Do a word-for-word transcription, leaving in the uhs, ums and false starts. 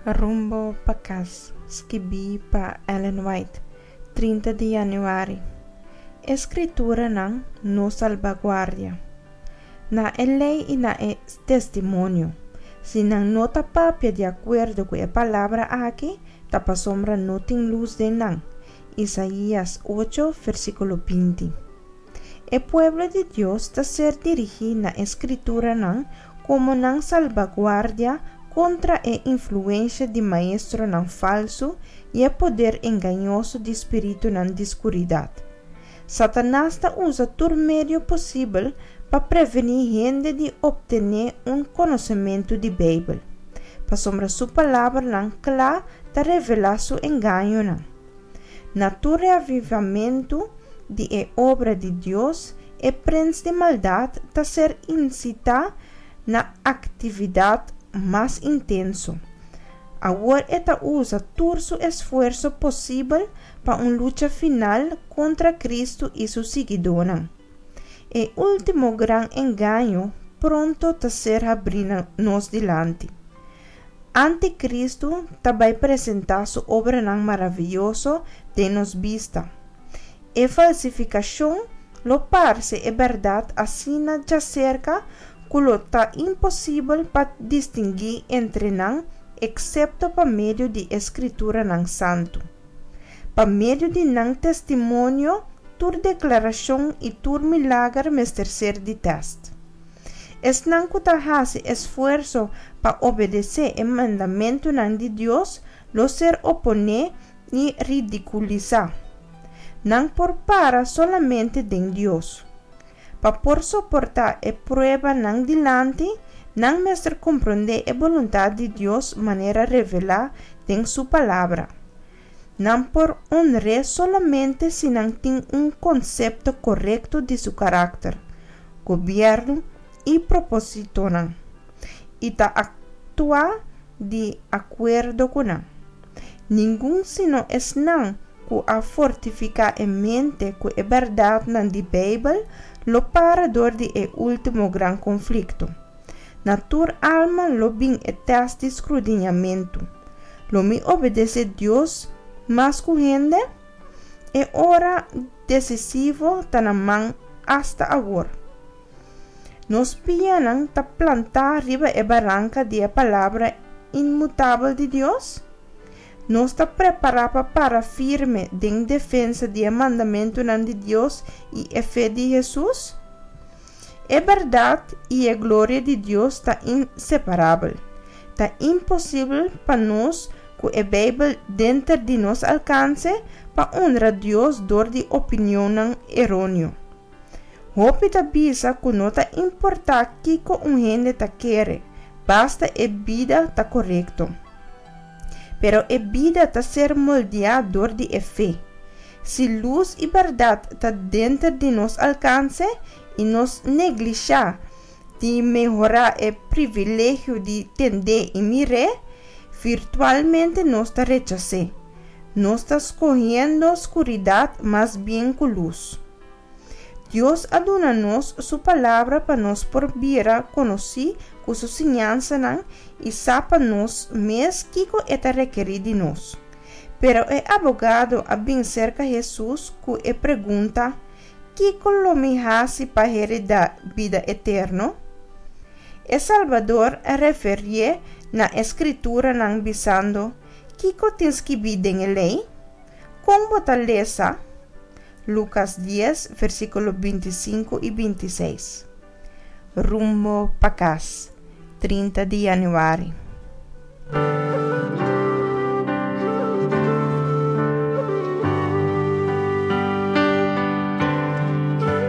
Rumbo pa Kas, skibí pa Ellen White, trinta di yanüari. E Skrituranan, nos salbaguardia. Na e lei i na e testimonio. Si nan no ta papia di akuerdo ku e palabra aki, ta pasobra no tin lus den nan. Isaías ocho, versíkulo binti. E pueblo di Dios ta ser dirigí na e Skrituranan komo nan salbaguardia kontra e influensha di maestronan falsu i e poder engañoso di spiritunan di skuridat. Satanas ta usa tur medio posibel pa prevení hende di optené un konosementu di Beibel, pasobra su palabranan kla ta revelá su engañonan. Na tur reavivamentu di e obra di Dios, e prens di maldat ta ser insitá na aktividat mas intenso. Awor e ta usa tur su esfuerso posibel pa un lucha final kontra Kristu i su siguidónan. E último gran engaño pronto ta ser habrí na nos dilanti. Antikristu ta bai presentá su obranan maravioso den nos bista. E falsifikashon lo parse e bèrdat asina djaserka ku lo ta imposibel pa distinguí entre nan eksepto pa medio di e Skrituranan Santu. Pa medio di nan testimonio tur deklarashon i tur milager mester ser di tèst. Esnan ku ta hasi esfuerso pa obedesé e mandamentunan di Dios lo ser oponé i ridikulisá. Nan por para solamente den Dios. Pa por soportá e prueba nan dilanti, nan mester komprondé e boluntat di Dios manera revelá den Su Palabra. Nan por honr'é solamente si nan tin un konsepto korekto di su karakter, gobièrnu i propósitonan, i ta aktua di akuerdo ku nan. Ningun sino esnan ku a fortifiká e mente ku e bèrdatnan di Beibel lo para dor di e último gran konflikto. Na tur alma lo bin e tèst di skrudiñamentu, Lo mi obedesé Dios mas ku hende? E ora desisivo ta na man asta awor. Nos pianan ta plantá riba e baranka di e Palabra inmutabel di Dios? Nos ta prepará pa para firme den defensa di e mandamentunan di Dios i e fe di Hesus? E bèrdat i e gloria di Dios ta inseparabel. Ta imposibel pa nos ku e Beibel denter di nos alkanse pa honra Dios dor di opinionnan eróneo. Hopi ta bisa ku no ta importá kiko un hende ta kere, basta e bida ta korekto. Pero e bida ta ser moldeá dor di e fe. Si lus i bèrdat ta denter di nos alkanse i nos neglishá di mehorá e privilegio di tend'é i mir'é, virtualmente nos ta rechas'é. Nos ta skohiendo skuridat mas bien ku lus. Dios a duna nos su Palabra pa nos por bira konosí ku su siñansanan i sa pa nos mes kiko e ta rekerí di nos. Pero e abogado a bin serka Hesus ku e pregunta, Kiko lo mi hasi pa heredá bida eterno? E Salbador a referié na e Skrituranan bisando, Kiko tin skibí den e Lei? Kon bo ta lesa? Lukas dies, versíkulo binti i sinku i binti i seis. Rumbo pa kas, trinta di yanüari.